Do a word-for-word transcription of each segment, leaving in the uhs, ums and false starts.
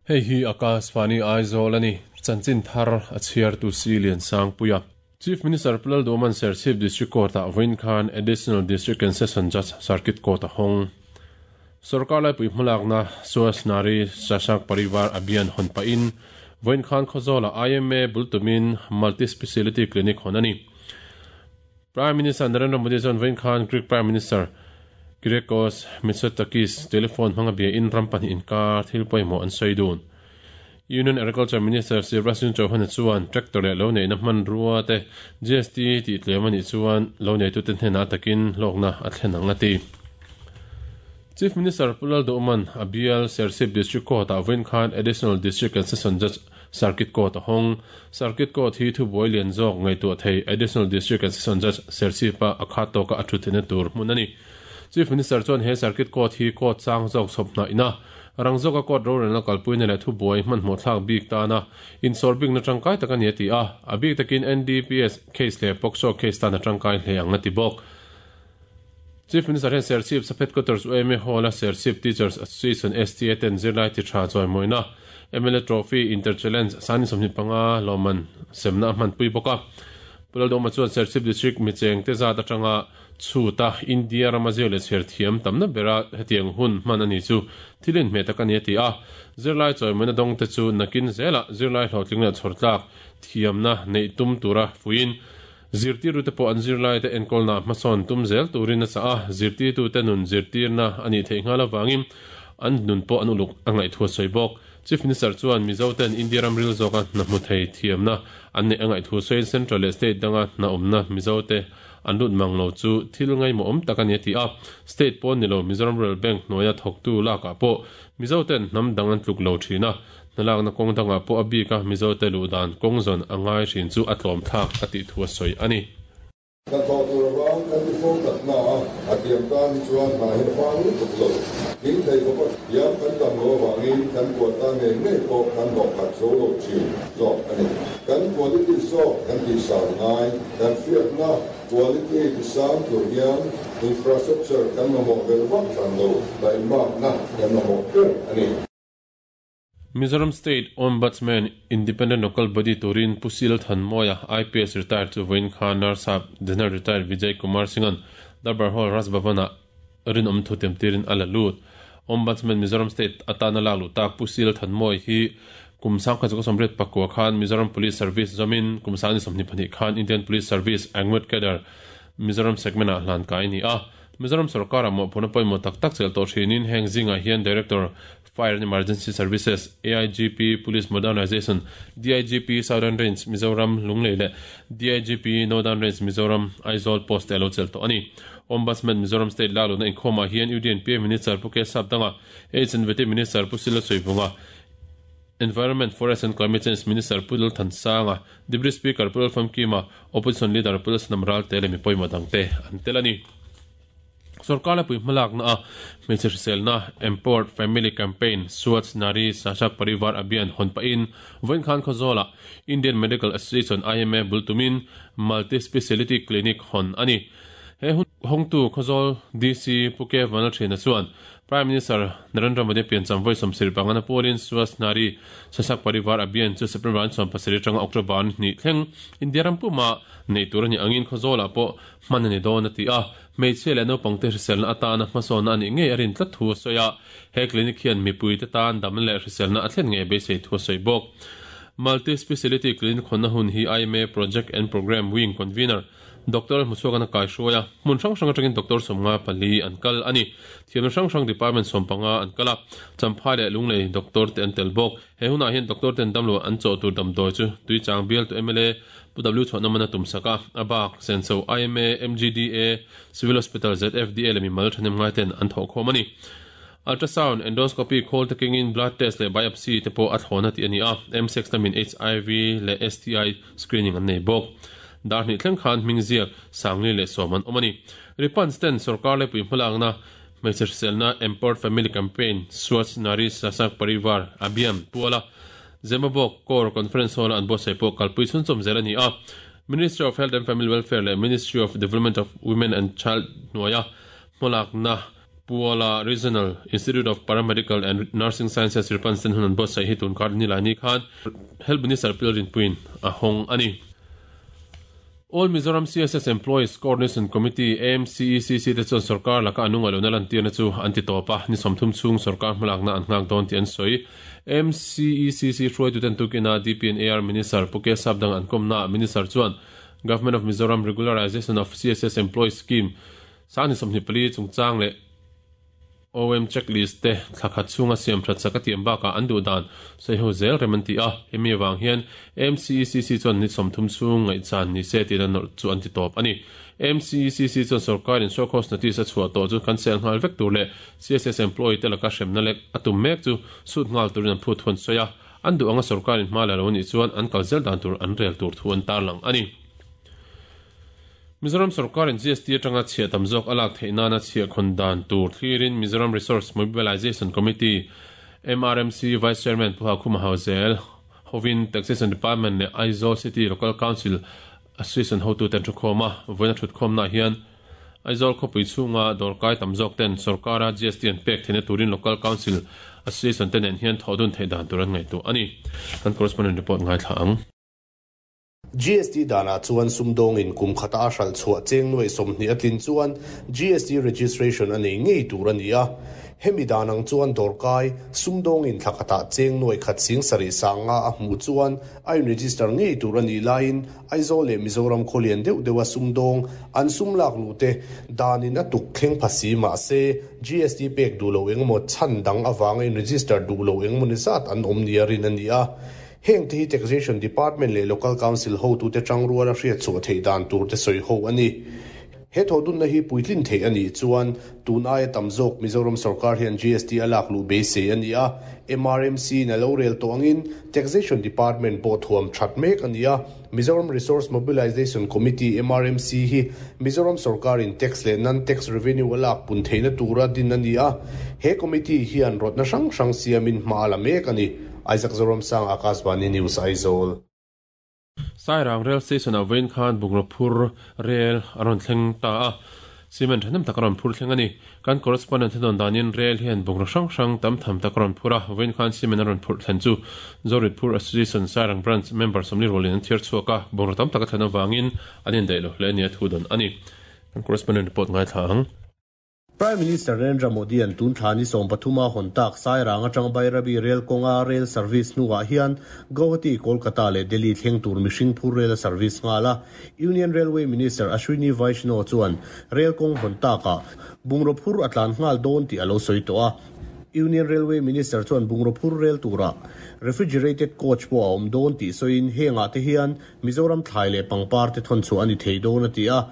Hei hi Akashvani Aizawl ani chanchin thar a chhiar tu si lian sang puia. Chief Minister Pu Lalduhoma'n Serchhip District Court ah vawiin khan Additional District and Session Judge Circuit Court a hawng. Sorkar laipui hmalakna Swachh Nari Sashakt Parivar Abhiyan hawn pahin vawiin khan Khawzawlah I M A bul tumin Multi Speciality Clinic hawn a ni. Prime Minister Narendra Modi chuan vawiin khan Greek Prime Minister Kyriakos Mitsotakis telephone hmanga bia in ram pahnih inkar thil pawimawh an sawi dun. Union Agriculture Minister Shivraj Singh Chauhan chuan tractor leh lo neihna hmanrua te G S T tih tlem a nih chuan lo neitute hnenah takin hlawkna a thlen ang a ti. Chief Minister Pu Lalduhoma'n a bial Serchhip District Court ah vawiin khan Additional District and Session Judge Circuit Court a hawng. Circuit Court hi thubuai lian zawk ngaihtuah thei Additional District and Session Judge Serchhip a a khat tawka a thu theihna tur hmun a ni. Chief Minister chuan he Circuit Court hi court chang zawk chhawp hnaih na rang zawka court rorelna kalpuina leh thubuai hmanhmawh thlak bik tana insawr bikna tangkai tak a ni a ti a, a bik takin N D P S case leh POCSO case tana tangkai hle ang a ti bawk. Chief Minister hian Serchhip Sub Headquarters U M A Hall a Serchhip Teachers Association S T A ten zirlai ti tha chawimawina M L A Trophy Inter Challenge sani sawmhnih panga lawmman semna a hmanpui bawk a. Pu Lalduhoma chuan Serchhip District micheng te zat atanga chuta India rama zir leh chher thiam tamna bera hetiang hun hman a ni chu thilin hmeh tak a ni a ti a. Zirlai chawimawina dawng te chu nakin zela zirlai hlawhtling leh chhawrtlak thiamna neih tum tura fuin zirtir te pawh an zirlai te enkawlna hmasawn tum zel turin a chah a, zirtirtu te nun zirtirna a nih theih nghal avangin an nun pawh an uluk a ngaih thu a sawi bawk. Chief Minister chuan Mizo ten India ram ril zawka hna hmu thei thiamna an neih a ngaih thu sawiin Central leh State danga hna awmna Mizo te an lut mang lo chu thil ngaimawh awm tak a ni a ti a. State pawn ni lo Mizoram Rural Bank hnuaia thawktu lakah pawh Mizo ten hnam dang an tluk lo thin a, hnalakna kawng dangah pawh a bik a Mizo te luh dan kawng zawn a ngai hrin chu a tlawm thlak a tih thu a sawi a ni. Hnathawh tur avang kan ti fo takna a, a tiam tan hi chuan hna hi a vang lutuk lo. Thing thei khawpa thiam kan tam lo avangin kan quota ngei ngei pawh kan hlawh khat zo lo thin zawk a ni. Kan quality zawk kan tih sang ngai, kan hriatna quality ti sang tur hian infrastructure kan mamawh vel vak hran lo, taimakna kan mamawh ber a ni. Mizoram State Ombudsman Independent Local Body turin Pu Sil Thanmawia I P S retired chu vawiin khan Narsap General Retired Vijay Kumar Singh-an Darbar Hall Raj Bhavan-ah rinawm thu temtirin a la lut. Ombudsman Mizoram State atana lak luh tak Pu Sil Thanmawia hi kum sangkhat chu sawmriat pakua khan Mizoram Police Service zawmin kum sangni sawmhnih pahnih khan Indian Police Service Angwet Cadre Mizoram segment-ah hlan kai ni a. Mizoram sarkar ah mawhphurna pawimawh tak tak chel tawh thinin heng zingah hian Director Fire and Emergency Services, A I G P Police Modernization, D I G P Southern Range Mizoram Lunglei leh D I G P Northern Range Mizoram Aizawl post te a lo chel tawh a ni. Ombudsman Mizoram State la luna inkhawmah hian U D N P A Minister Pu K Sapdanga, H and V T Minister Pu Sila Soivunga, Environment, Forest and Climate Change Minister Pu Lal Thansanga, Deputy Speaker Pu Lal Famkima, Opposition Leader Pu Lal Sanam Ral te leh mi pawimawh dang te an tel a ni. Sarkar laipui hmalakna a hmeichhe hriselna Empowered Family Campaign Swachh Nari Sashakt Parivar Abhiyan hawn pahin vawiin khan Khawzawlah Indian Medical Association I M A bul tumin Multi Speciality Clinic hawn a ni. He hun hawngtu Khawzawl D C Pu K Vanal Thina chuan Prime Minister Narendra Modi piancham vawi sawmsarih pangana pawlin Swachh Nari Sashakt Parivar Abhiyan chu September an sawm pasarih atanga October an hnih thleng India ram puma nei tur a ni angin Khawzawlah pawh hman a ni dawn a ti a. Hmeichhe leh naupangte hriselna atana hmasawnna a nih ngei a rin tlat thu a sawi a. He clinic hian mipui te tan dam leh hriselna a thlen ngei beisei thu a sawi bawk. Multi Speciality Clinic hawnna hun hi I M A Project and Program Wing Convener Doctor Hmuchhuakana kai hruaia hmun hrang hrang atangin Doctor Sawmnga pali an kal a ni. Thiamna hrang hrang department sawmpanga an kal a, Champhai leh Lunglei doctor te an tel bawk. He hunah hian doctor ten damlo an chawh tur damdawi chu tui chang bial tu M L A Pu W chhuahna mana tum sak a, a bak Senso I M A, M G D A, Civil Hospital Z F D A leh mimal thanem ngai ten an thawh khawm a ni. Ultrasound, endoscopy, call taking in blood test leh biopsy te pawh a thlawna tih a ni a. M six lamin H I V leh S T I screening an nei bawk. Dar hnih thleng khan hming ziak sangli leh sawm an awm a ni. Ripans ten sarkar laipui hmalakna hmeichhe hriselna Empowered Family Campaign Swachh Nari Sashakt Parivar Abhiyan puala Zemabawk Core Conference Hall an buatsaih pawh kalpui chhunchawm zel a ni a. Ministry of Health and Family Welfare leh Ministry of Development of Women and Child hnuaia hmalakna Puala Regional Institute of Paramedical and Nursing Sciences Ripan Sen hun an buatsaih hi tun kar ni lai ni khan Health Minister Pi Lalrinpuiin a hawng a ni. All Mizoram C S S Employees Coordination Committee, A M C E C C, te chuan sorkar laka an nunga lohna lantirna chu an ti tawp a, ni sawmthum chhung sorkar hmalakna an nghak dawn tih an sawi. A M C E C C hruaituten tukina D P and A R Minister Pu K Sapdang an kawmna Minister chuan Government of Mizoram Regularization of C S S Employees Scheme sang ni sawmhnih pali chungchang leh O M checklist te thlakhat chhunga siam that sak a tiam bakah an duh dan sawiho zel rem an ti a, hemi avang hian A M C E C C chuan ni sawmthum chhung ngaihchan ni se tiin a nawrh chu an ti tawp a ni. A M C E C C chuan sorkarin show cause notice a chhuah tawh chu kan sel nghal vek tur leh C S S employee te laka hremna lek a tum mek chu sut nghal turin an phut huan sawi a, an duh anga sorkarin hma la lo nih chuan an kal zel dan tur an rel tur thu an tarlang a ni. Mizoram sarkarin G S T atanga chhiah tam zawk a lak theih nana chhiah khawn dan tur thlirin Mizoram Resource Mobilization Committee M R M C Vice Chairman Pu Hakhuma Hauzel hovin Taxation Department leh Aizawl City Local Council Association hotu ten thukhawma vawiin a thutkhawmna hian Aizawl khawpui chhunga dawrkai tam zawk ten sarkara G S T an pek theihna turin Local Council Association te nen hian thawhdun theih dan tur an ngaihtuah a ni. Kan correspondent report ngaithla ang. G S T dana chuan sumdawngin kum khata a hral chhuah cheng nuai sawmhnih a tlin chuan G S T registration a nei ngei tur a ni a. Hemi danang chuan dawrkai sumdawngin thlakhatah cheng nuai khat sing sarih sanga a hmu chuan a in register ngei tur a ni laiin Aizawl leh Mizoram khawlian deuh deuh a sumdawng an sum lak lu te danin a tuk thleng phasi mah se G S T pek duh lo engemaw chhan dang awanga in register duh lo engemaw ni zat an awm ni a rin a ni a. Heng te hi Taxation Department leh Local Council ho tu te tangrual a hriat chhuah theih dan tur te sawi ho a ni. He thodun na hi puitlin thei a ni chuan tun aia tam zawk Mizoram sarkar hian G S T a lak lu beisei a ni a. M R M C na lo rel tawh angin Taxation Department pawh thuam that mek a ni a. Mizoram Resource Mobilization Committee M R M C hi Mizoram sarkarin tax leh non-tax revenue a lak pun theihna tura din a ni a. He committee hian rawtna hrang hrang siamin hma la mek a ni. Isaac Zoram Sang, Akashvani News, Aizawl. Sairang Rail Station a vawiin khan Bungraphur Rail a rawn thleng ta a. Cement thanem tak a rawn phur thleng a ni. Kan correspondent te dawn danin rail hian bungraw hrang hrang tam tham tak a rawn phur a. Vawiin khan cement a rawn phur thlen chu Zoritpur Association Sairang Branch member sawmli rualin an thiar chhuak a. Bungraw tam tak a thlen avangin an indaih lo hle a ni a thu dawn a ni. Kan correspondent report ngaithla ang. Prime Minister Narendra Modi an tun thlani sawm pathuma hawn tak Sairang atang Bairabi Rail kawnga rail service hnuah hian Guwahati, Kolkata leh Delhi thleng tur mihring phur rail service ngala Union Railway Minister Ashwini Vaishnaw chuan rail kawng hawn taka bungraw phur a tlan nghal dawn tih a lo sawi tawh a. Union Railway Minister chuan bungraw phur rail tura refrigerated coach pawh a awm dawn tih sawiin hengah te hian Mizoram thlai leh pangpar te thawn chu a ni thei dawn a ti a.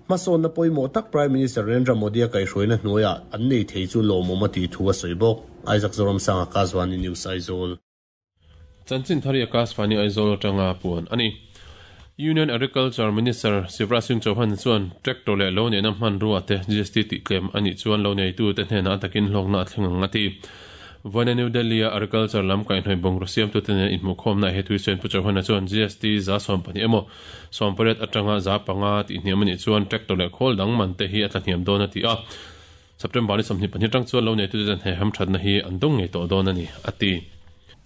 Mason na pawimawh tak Prime Minister Narendra Modi a kaihhruaina hnuaiah an nei thei chu lawmawm a tih thu a sawi bawk. Isaac Zoram Sang, Akashvani News, Aizawl. Chanchin thari Akashvani Aizawl atanga puan a ni. Union Agriculture Minister Shivraj Singh Chauhan chuan tractor leh lo neihna hmanrua te G S T tih tlem a nih chuan lo neitu te hnenah takin hlawkna a thleng ang a ti. Vawiin New Delhi a Agriculture lam kaihhnawih bungraw siamtu te nen inhmuhkhawmna he thui sawiin Pu Chauhan chuan G S T za sawm pahnih emaw sawm pariat atanga za panga tih hniam a nih chuan tractor leh khawl dang man te hi a tla hniam dawn a ti a. September ni sawmhnih pahnih atang chuan lo neitu te he hamthatna hi an dawng ngei tawh dawn a ni a ti.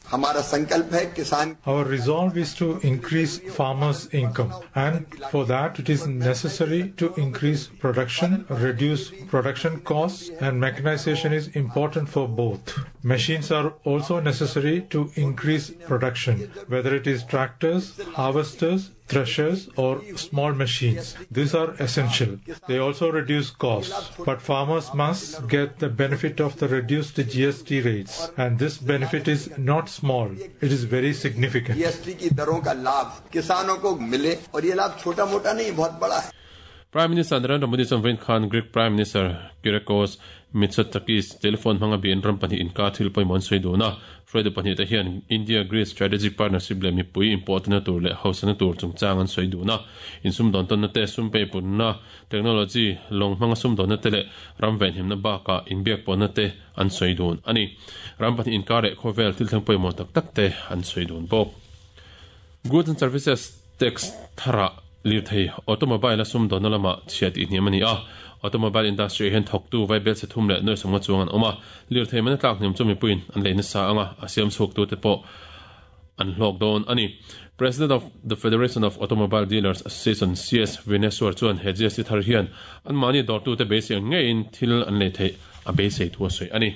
हमारा संकल्प है किसान Our resolve is to increase farmers' income, and for that it is necessary to increase production, reduce production costs, and mechanization is important for both. Machines are also necessary to increase production, whether it is tractors, harvesters, threshers or small machines. These are essential. They also reduce costs. But farmers must get the benefit of the reduced G S T rates. And this benefit is not small. It is very significant. G S T की दरों का लाभ किसानों को मिले और ये लाभ छोटा मोटा नहीं बहुत बड़ा है. Prime Minister Narendra Modi chuan vawiin khan Greek Prime Minister Kyriakos Mitsotakis telephone hmanga bian ram pahnih inkar thil pawimawh an sawi dun a. Hruaitu pahnih te hian India-Greece Strategic Partnership leh mipui inpawhna tur leh hausana tur chungchang an sawi dun a. Insumdawn tawnna te sum peipunna technology lawng hmanga sumdawnna te leh ram venhimna bakah inbiak pawhna te an sawi dun a ni. Ram pahnih inkar leh khawvel thil thleng pawimawh tak tak te an sawi dun bawk. Goods and Services Tax thara lirthei automobile a sumdawnna lama chhiat tih hniam a ni a. Automobile industry hian thawktu vaibel chhe thum leh nuai sawmnga chuang an awm a, lirthei man a tlak hniam chu mipuiin an lei nasa anga a siam chhuak tute pawh an hlawk dawn a ni. President of the Federation of Automobile Dealers Association C S Vineswar chuan he G S T thar hian anmahni dawrtute beisei ang ngeiin thil an lei theih a beisei thu a sawi a ni.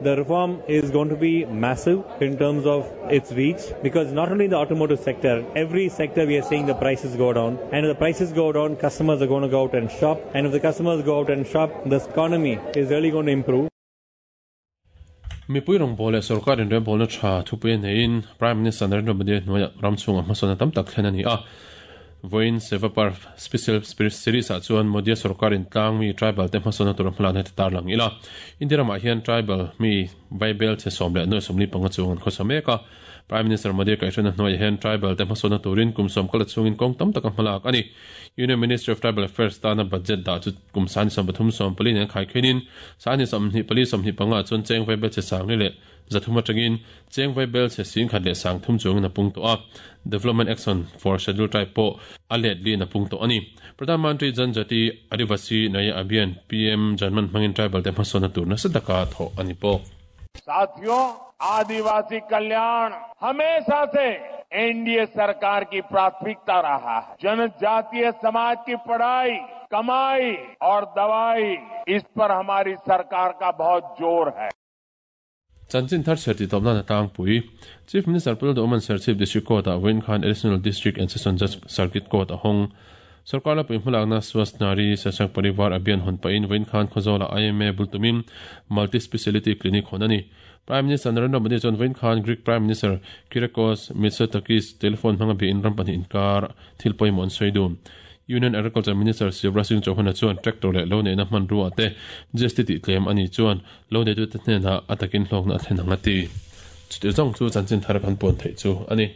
The reform is going to be massive in terms of its reach, because not only in the automotive sector, every sector we are seeing the prices go down. And if the prices go down, customers are going to go out and shop. And if the customers go out and shop, the economy is really going to improve. Mipui rawng bawl leh sorkar inrem bawlna tha thupui a neiin Prime Minister Narendra Modi hnuaiah ram chhungah hmasawn a tam tak thlen a ni a. Vawiin Seva Parv Special Series ah chuan Modi sorkar in tlang mi tribal te hmasawn tur hmalan he tar lang ila. India ramah hian tribal mi vaibel che sawm leh nuai sawmli panga chung an khawsa mek a. Prime Minister Modi kaihhruaina hnuaiah hian tribal te hmasawn turin kum sawm kala chungin kawng tam tak a hmalak ani. Union Ministry of Tribal Affairs tana budget dah chu kum sani sawm pathum sawm pali nen khai khenin sani sawmhnih pali sawmhnih panga chuan cheng vaibel che sangli leh zathum atangin cheng vaibel che sing khat leh sang thum chung na pung to a. Development Action for Scheduled Tribe po a let li na pung to ani. Pradhan Mantri Janjati Adivasi Naya Abhiyan P M Janman hmangin tribal te hmasawn tur na sadaka tho ani po. साथियों, आदिवासी कल्याण हमेशा से NDA सरकार की प्राथमिकता रहा है। जनजातीय समाज की पढ़ाई, कमाई और दवाई, इस पर हमारी सरकार का बहुत जोर है। Chanchin thar cherti topna na tang pui Chief Minister Pul Oman Serchhip District Court a Win Khan Additional District and Session Judge Circuit Court a hong Sarkar la puihmalak na Swasth Nari Sashak Parivar Abhiyan hon pain Win Khan Khozola I M A bultumin Multi Speciality Clinic honani. Prime Minister Narendra Modi chuan Win Khan Greek Prime Minister Kyriakos Mitsotakis telephone hmanga bi in ram pahnih inkar thil pawimawh an sawi dun. Union Agriculture Minister Shivraj Singh Chauhan chuan tractor leh lo neihna hman ruah te G S T tih tlem ani chuan lo neitu te hnenah a takin hlawkna a thlen ang a ti. Chuti zawng chu chanchin thar kan puan theih chu ani.